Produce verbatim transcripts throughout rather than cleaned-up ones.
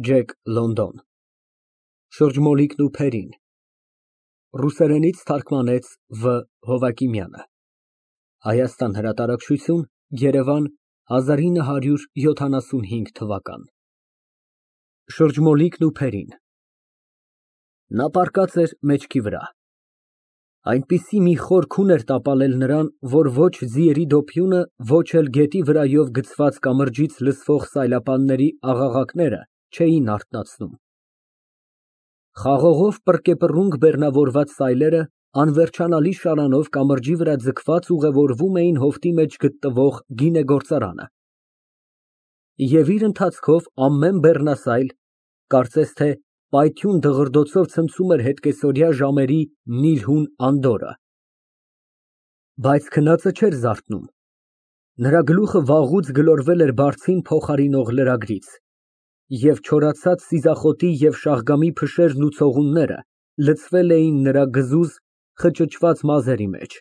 Ջեք Լոնդոն Շրջմոլիկն ու Փերին Ռուսերենից թարգմանեց Վ. Հովակիմյանը Հայաստան հրատարակչություն, Երևան հազար ինը հարյուր յոթանասունհինգ թվական Շրջմոլիկն ու Փերին Նա պառկած էր մեջքի վրա այնպիսի մի խոր քուն էր տապալել նրան, որ ոչ ձիերի դոփյունը, ոչ էլ գետի վրայով գցված կամրջից լսվող սայլապանների աղաղակները չէին արթնացնում։ Խաղողով պռկեպռունգ բեռնավորված սայլերը անվերջանալի շարանով կամրջի վրա ձգված ուղևորվում էին հովտի մեջ գտնվող գինեգործարանը։ Եվ իր ընթացքով ամեն բեռնասայլ, կարծես թե պայթյուն դղրդոցով ցնցում էր հետկեսօրյա ժամերի նիրհուն անդորրը։ Բայց քնածը չէր զարթնում։ Նրա գլուխը վաղուց գլորվել էր բարձին փոխարինող լրագրից, և չորացած սիզախոտի և շաղգամի փշերն ու ցողունները լցվել էին նրա գզուզ, խճճված մազերի մեջ։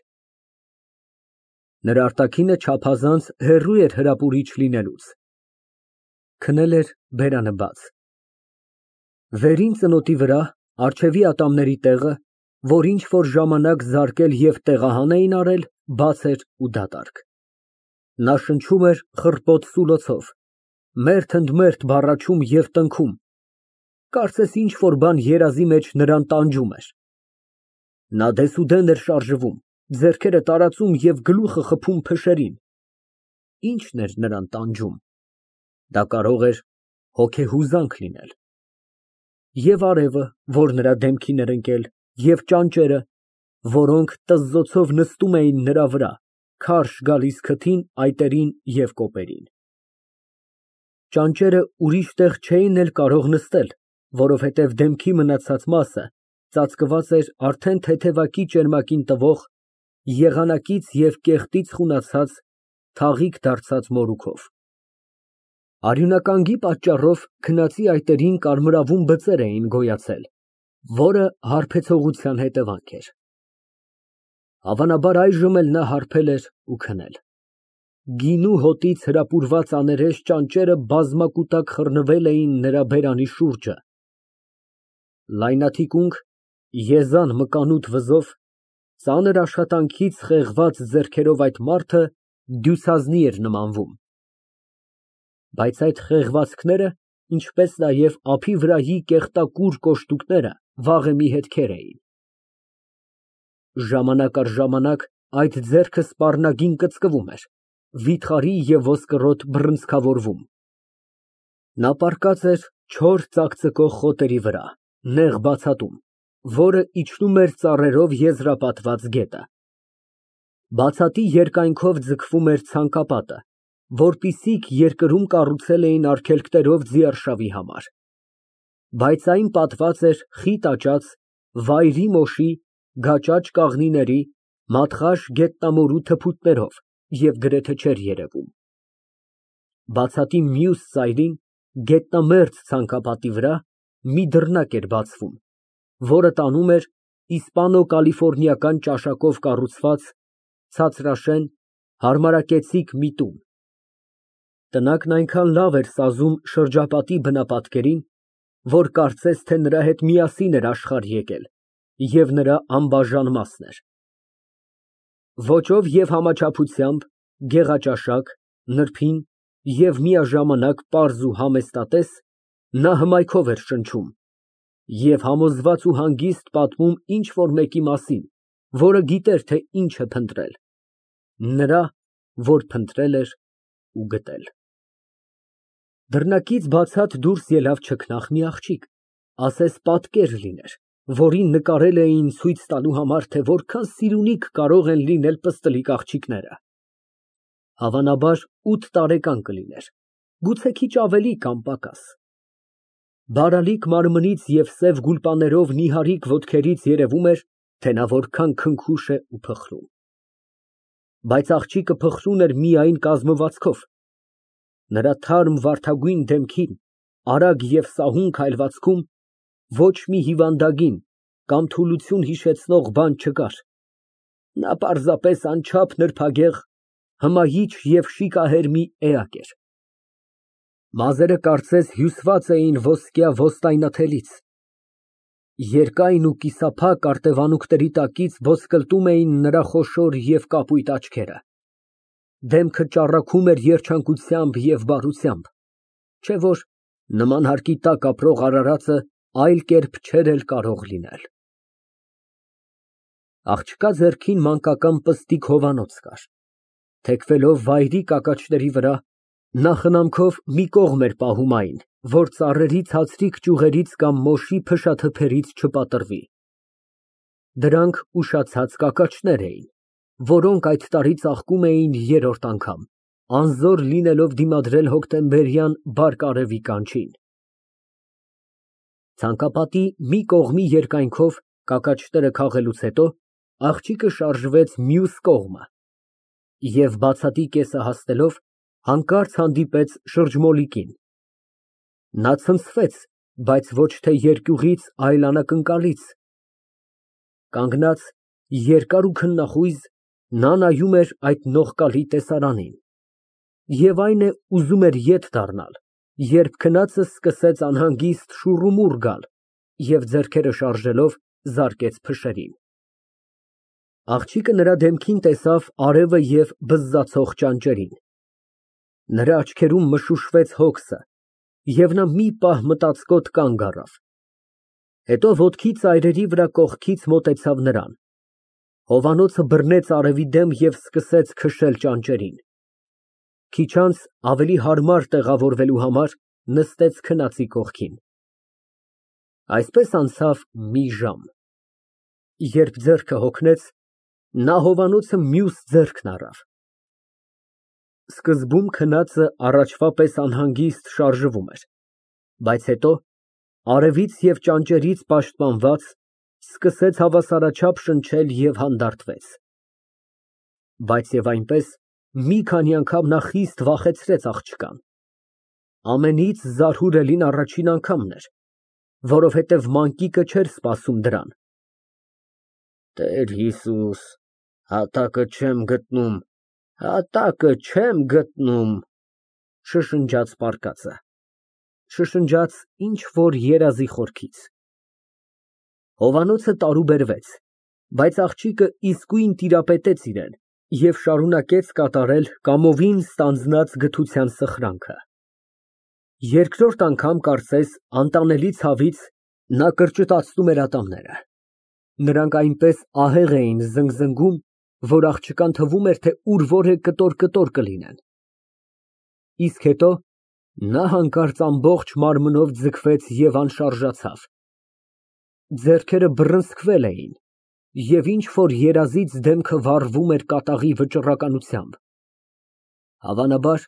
Նրա արտաքինը չափազանց հեռու էր հրապուրիչ լինելուց։ Քնել էր բերանը բաց։ Վերին ծնոտի վրա, առջևի ատամների տեղը, որ ինչ֊որ ժամանակ զարկել և տեղահան էին արել, բաց էր ու դատարկ։ Նա շնչում էր խռպոտ սուլոցով, մերթ ընդ մերթ բառաչում և տնքում, կարծես ինչ֊որ բան երազի մեջ նրան տանջում էր։ Նա դեսուդեն էր շարժվում, ձեռքերը տարածում և գլուխը խփում փշերին։ Ի՞նչն էր նրան տանջում։ Դա կարող էր հոգեհուզանք լինել։ Եվ արևը, որ նրա դեմքին էր ընկել, և ճանճերը, որոնք տզզոցով նստում էին նրա վրա, քարշ գալիս քթին, այտերին և կոպերին։ Ճանճերը ուրիշ տեղ չէին էլ կարող նստել, որովհետև դեմքի մնացած մասը ծածկված էր արդեն թեթևակի ճերմակին տվող, եղանակից և կեղտից խունացած, թաղիկ դարձած մորուքով։ Արյունականգի պատճառով քնածի այտերին կարմրավուն բծեր էին գոյացել, որը հարբեցողության հետևանք էր։ Հավանաբար այժմ էլ նա հարբել էր ու քնել։ Գինու հոտից հրապուրված աներես ճանճերը բազմակուտակ խռնվել էին նրա բերանի շուրջը։ Լայնաթիկունք, եզան մկանուտ վզով, ծանր աշխատանքից խեղված ձեռքերով այդ մարդը դյուցազնի էր նմանվում։ Բայց այդ խեղվածքները, ինչպես նաև ափի վրայի կեղտակուր կոշտուկները վաղեմի հետքեր էին։ Ժամանակ առ ժամանակ այդ ձեռքը սպառնագին կծկվում էր, վիթխարի և ոսկրոտ բռնցքավորվում։ Նա պառկած էր չոր ծակծկող խոտերի վրա, նեղ բացատում, որը իջնում էր ծառերով եզրապատված գետը։ Բացատի երկայնքով ձգվում էր ցանկապատը, որպիսիք երկրում կառուցել էին արգելքներով ձիարշավի համար, բայց այն պատված էր խիտ աճած, վայրի մոշի, գաճաճ կաղնիների, մատխաշ գետնամորու թփուտներով և գրեթե չէր երևում։ Բացատի մյուս ծայրին, գետնամերձ ցանկապատի վրա, մի դռնակ էր բացվում, որը տանում էր իսպանո֊կալիֆոռնիական ճաշակով կառուցված, ցածրաշեն, հարմարակեցիկ մի տուն։ Տնակն այնքան լավ էր սազում շրջապատի բնապատկերին, որ կարծես թե նրա հետ միասին էր աշխարհ եկել և նրա անբաժան մասն էր։ Ոճով և համաչափությամբ գեղաճաշակ, նրբին և միաժամանակ պարզ ու համեստատես, նա հմայքով էր շնչում և համոզված ու հանգիստ պատմում ինչ֊որ մեկի մասին, որը գիտեր, թե ինչ է փնտրել, նրա, որ փնտրել էր ու գտել։ Դռնակից բացատ դուրս ելավ չքնաղ մի աղջիկ, ասես պատկեր լիներ, որին նկարել էին ցույց տալու համար, թե որքան սիրունիկ կարող են լինել պստլիկ աղջիկները։ Հավանաբար ութ տարեկան կլիներ, գուցե քիչ ավելի կամ պակաս։ Բարալիկ մարմնից և սև գուլպաներով նիհարիկ ոտքերից երևում էր, թե նա որքան քնքուշ է ու փխրուն։ Բայց աղջիկը փխրուն էր միայն կազմվածքով։ Նրա թարմ վարդագույն դեմքին, արագ և սահուն քայլվածքում ոչ մի հիվանդագին կամ թուլություն հիշեցնող բան չկար։ Նա պարզապես անչափ նրբագեղ, հմայիչ և շիկահեր մի էակ էր։ Մազերը կարծես հյուսված էին ոսկյա ոստայնաթելից, երկայն ու կիսափակ արտևանքների տակից ոսկլտում էին նրա խոշոր և կապույտ աչքերը, դեմքը ճառագում էր երջանկությամբ և բարությամբ, չէ՞ որ նման հարկի տակ ապրող արարածը այլ կերպ չէր էլ կարող լինել։ Աղջկա ձեռքին մանկական պստիկ հովանոց կար, թեքվելով վայրի կակաչների վրա, նա խնամքով մի կողմ էր պահում այն, որ ծառերի ցածրիկ ճյուղերից կամ մոշի փշաթփերից չպատրվի։ Դրանք ուշացած կակաչներ էին, որոնք այդ տարի ծաղկում էին երրորդ անգամ, անզոր լինելով դիմադրել հոկտեմբերյան բարդ արևի կանչին։ Ցանկապատի մի կողմի երկայնքով կակաչները քաղելուց հետո աղջիկը շարժվեց մյուս կողմը և բացատի կեսը հասնելով հանկարծ հանդիպեց շրջմոլիկին։ Նա ցնցվեց, բայց ոչ թե երկյուղից, այլ անակնկալից, կանգնած, երկար ու քննախույզ, նա նայում էր այդ նողկալի տեսարանին և այն է, ուզում էր ետ դառնալ, երբ քնածը սկսեց անհանգիստ շուռումուռ գալ և ձեռքերը շարժելով զարկեց փշերին։ Աղջիկը նրա դեմքին տեսավ արևը և բզզացող ճանճերին, նրա աչքերում մշուշվեց հոգսը, և նա մի պահ մտածկոտ կանգ առավ, հետո ոտքի ծայրերի վրա կողքից մոտեցավ նրան, հովանոցը բռնեց արևի դեմ և սկսեց քշել ճանճերին, քիչ անց ավելի հարմար տեղավորվելու համար նստեց քնածի կողքին։ Այսպես անցավ մի ժամ, երբ ձեռքը հոգնեց, նա հովանոցը մյուս ձեռքն առավ։ Սկզբում քնածը առաջվա պես անհանգիստ շարժվում էր, բայց հետո, արևից և ճանճերից պաշտպանված, սկսեց հավասարաչափ շնչել և հանդարտվեց։ Բայց և այնպես, մի քանի անգամ նա խիստ վախեցրեց աղջկան։ Ամենից զարհուրելին առաջին անգամն էր, որովհետև մանկիկը չէր սպասում դրան։ Տեր Հիսուս, հատակը չեմ գտնում, հատակը չեմ գտնում, շշնջաց պառկածը, շշնջաց ինչ֊որ երազի խորքից։ Հովանոցը տարուբերվեց, բայց աղջիկը իսկույն տիրապետեց իրան և շարունակեց կատարել կամովին ստանձնած գթության սխրանքը։ Երկրորդ անգամ, կարծես անտանելի ցավից, նա կրճտացնում էր ատամները, նրանք այնպես ահեղ էին զնգզնգում, որ աղջկան թվում էր, թե ուր որ է կտոր֊կտոր կլինեն։ Իսկ հետո նա հանկարծ ամբողջ մարմնով ձգվեց և անշարժացավ, ձեռքերը բռնցքվել էին և ինչ֊որ երազից դեմքը վառվում էր կատաղի վճռականությամբ։ Հավանաբար,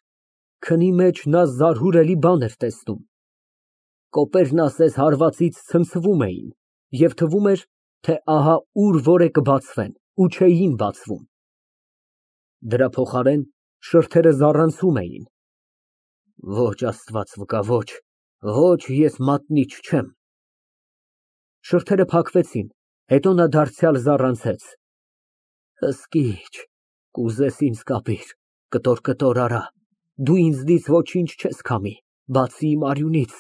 քնի մեջ նա զարհուրելի բան էր տեսնում, կոպերն ասես հարվածից ցնցվում էին և թվում էր, թե ահա ուր որ է կբացվեն ու չէին բացվում։ Դրա փոխարեն շրթերը զառանցում էին։ Ոչ, Աստված վկա, ոչ, ոչ, ես մատնիչ չեմ։ Շրթերը փակվեցին, հետո նա դարձյալ զառանցեց. Հսկիչ, կուզես ինձ կապիր, կտոր֊կտոր արա, դու ինձնից ոչինչ չես քամի, բացի իմ արյունից։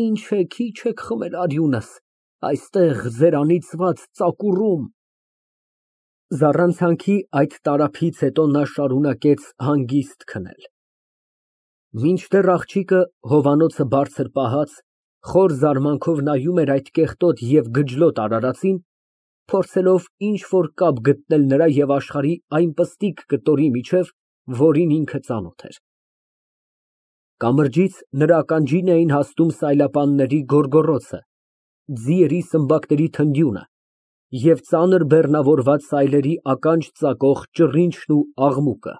Ինչ է, քիչ եք խմել արյունս, այստեղ ձեր անիծված ծակուռում։ Զառանցանքի այդ տարափից հետո նա շարունակեց հանգիստ քնել, մինչդեռ աղջիկը, հովանոցը բարձր պահած, խոր զարմանքով նայում էր այդ կեղտոտ և գջլոտ արարածին, փորձելով ինչ֊որ կապ գտնել նրա և աշխարհի այն պստիկ կտորի միջև, որին ինքը ծանոթ էր։ Կամրջից նրա ականջին էին հասնում սայլապանների գոռգոռոցը, ձիերի սմբակների թնդյունը և ծանր բեռնավորված սայլերի ականջ ծակող ճռինչն ու աղմուկը։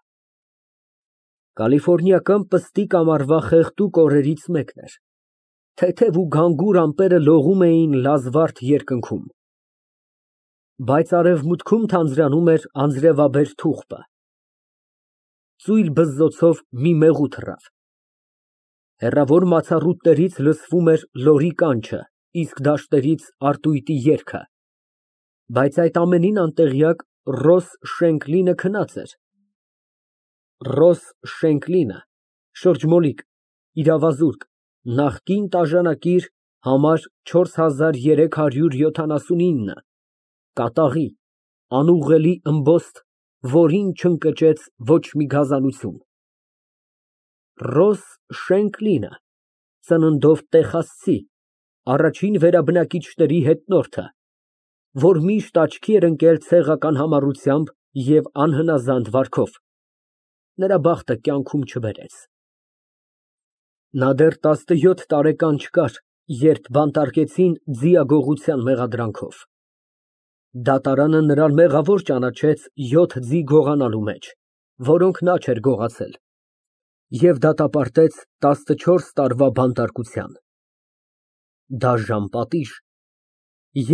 Կալիֆոռնիական պստիկ ամառվա խեղդուկ օրերից մեկն էր, թեթև ու գանգուր ամպերը լողում էին լազվարդ երկնքում, բայց արևմուտքում թանձրանում էր անձրևաբեր թուղթը։ Ծույլ բզզոցով մի մեղու թռավ։ Հեռավոր մացառուտներից լսվում էր լորի կանչը, իսկ դաշտերից արտույտի երգը, բայց այդ ամենին անտեղյակ Ռոս Շենկլինը քնած էր։ Ռոս Շենկլինը, շրջմոլիկ, Իրավազուրկ, նախկին տաժանակիր, համար չորս հազար երեք հարյուր յոթանասունինը, կատաղի, անուղղելի ըմբոստ, որին չընկճեց ոչ մի գազանություն։ Ռոս Շենկլինը, ծննդով տեխասցի, առաջին վերաբնակիչների հետնորդը, որ միշտ աչքի էր ընկել ցեղական համառությամբ և անհնազանդ վարքով, նրա բախտը կյանքում չբերեց։ Նա դեռ տասնյոթ տարեկան չկար, երբ բանտարկեցին ձիագողության մեղադրանքով։ Դատարանը նրան մեղավոր ճանաչեց յոթ ձի գողանալու մեջ, որոնք նա չէր գողացել, և դատապարտեց տասնչորս տարվա բանտարկության։ Դաժան պատիժ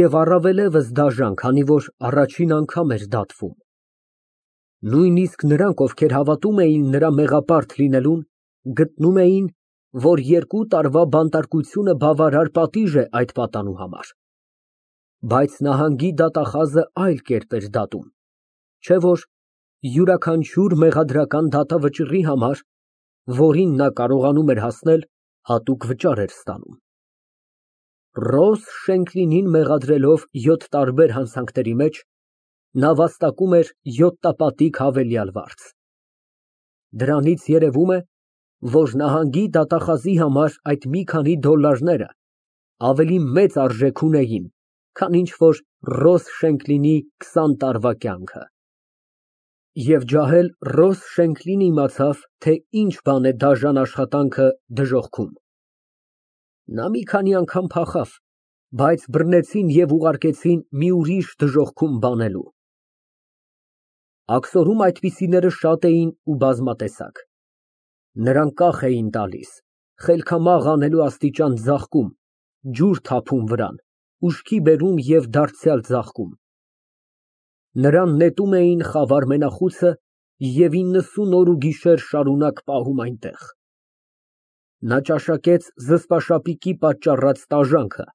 և առավելևս դաժան, քանի որ առաջին անգամ էր դատվում։ Նույնիսկ նրանք, ովքեր հավատում էին նրա մեղապարտ լինելուն, գտնում էին, որ երկու տարվա բանտարկությունը բավարար պատիժ է այդ պատանու համար։ Բայց նահանգի դատախազը այլ կերպ էր դատում, չէ՞ որ յուրաքանչյուր մեղադրական դատավճիռի համար, որին նա կարողանում էր հասնել, հատուկ վճար էր ստանում։ Ռոս Շենկլինին մեղադրելով յոթ տարբեր հանցանքների մեջ, նա վաստակում էր յոթտապատիկ հավելյալ վարձ։ Դրանից երևում է, որ նահանգի դատախազի համար այդ մի քանի դոլարները ավելի մեծ արժեք ունեին, քան ինչ֊որ Ռոս Շենկլինի քսան տարվա կյանքը։ Եվ ջահել Ռոս Շենկլինն իմացավ, թե ինչ բան է դաժան աշխատանքը դժոխքում։ Նա մի քանի անգամ փախավ, բայց բռնեցին և ուղարկեցին մի ուրիշ դժոխքում բանելու։ Աքսորում այդպիսիները շատ էին ու բազմատեսակ։ Նրանք կախ էին տալիս, խելքամաղ անելու աստիճան ձաղկում, ջուր թափում վրան, ուշքի բերում և դարձյալ ձաղկում։ Նրան նետում էին խավար մենախույսը և իննսուն օր ու գիշեր շարունակ պահում այնտեղ։ Նա ճաշակեց զսպաշապիկի պատճառած տաժանքը։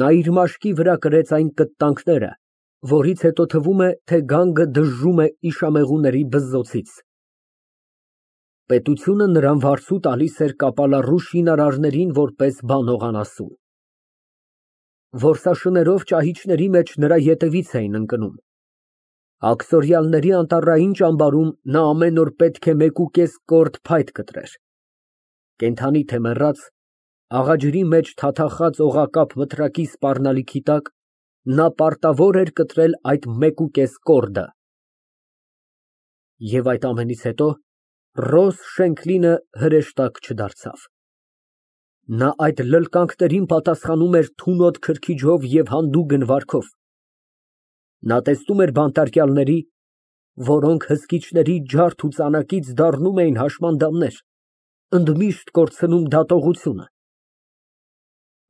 Նա իր մաշկի վրա կրեց այն կտտանքները, որից հետո թվում է, թե գանգը դժժում է իշամեղուների բզզոցից։ Պետությունը նրան վարձու տալիս էր կապալառու շինարարներին որպես բանող անասուն։ Որսաշներով ճահիճների մեջ նրա ետևից էին ընկնում։ Աքսորյալների անտառային ճամբարում նա ամեն օր պետք է մեկուկես կորդ փայտ կտրեր։ Կենդանի թե մեռած, աղաջրի մեջ թաթախած օղակապ մտրակի սպառնալիքի տակ նա պարտավոր էր կտրել այդ մեկուկես կորդը։ Եվ այդ ամենից հետո Ռոս Շենկլինը հրեշտակ չդարձավ։ Նա այդ լլկանքներին պատասխանում էր թունոտ քրքիջով և հանդուգն վարքով։ Նա տեսնում էր բանտարկյալների, որոնք հսկիչների ջարդ ու ծանակից դառնում էին հաշմանդամներ, ընդմիշտ կորցնում դատողությունը։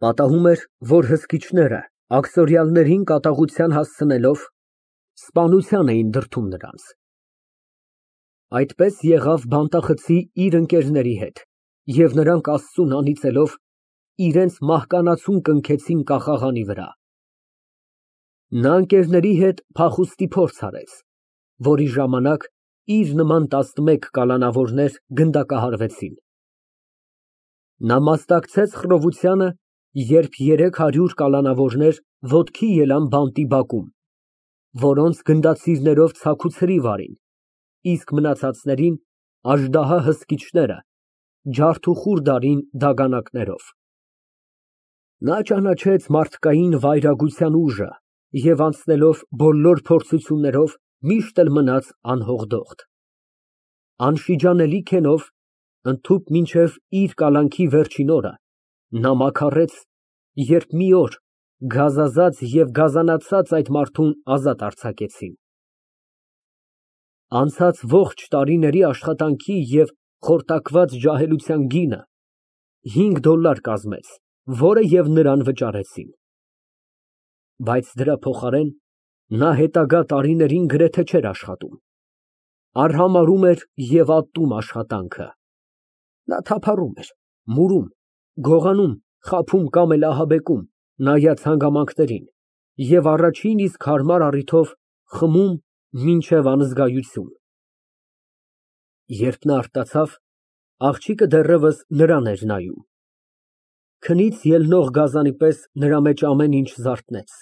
Պատահում էր, որ հսկիչները, աքսորյալներին կատաղության հասցնելով, սպանության էին դրդում նրանց։ Այդպես եղավ բանտախցի իր ընկերների հետ, և նրանք Աստծուն անիծելով, իրենց մահկանացուն կնքեցին կախաղանի վրա։ Նա ընկերների հետ փախուստի փորձ արեց, որի ժամանակ իր նման տասնմեկ կալանավորներ գնդակահարվեցին։ Նա մասնակցեց խռովությանը, երբ երեք հարյուր կալանավորներ ոտքի ելան բանտի բակում, որոնց գնդացիրներով ցաքուցրիվ արին, իսկ մնացածներին աժդահա հսկիչները ջարդուխուռ դարին դագանակներով։ Նա ճանաչեց մարդկային վայրագության ուժը և անցնելով բոլոր փորձություններով միշտ էլ մնաց անհողդողդ։ Անշիջանելի քենով, ընդհուպ մինչև իր կալանքի վերջին օրը, նա մաքարեց, երբ մի օր գազազած և գազանացած այդ մարդուն ազատ արձակեցին։ Անցած ողջ տարիների աշխատանքի և խորտակված ջահելության գինը հինգ դոլար կազմեց, որը և նրան վճարեցին։ Բայց դրա փոխարեն նա հետագա տարիներին գրեթե չէր աշխատում, արհամարհում էր և ատում աշխատանքը։ Նա թափառում էր, մուրում, գողանում, խաբում կամ էլ ահաբեկում, նայած հանգամանքներին, և առաջին իսկ հարմար առիթով խմում մինչև անզգայություն։ Երբ նա արտացավ, Աղջիկը դեռևս նրան էր նայում։ Քնից ելնող գազանի պես նրա մեջ ամեն ինչ զարթնեց։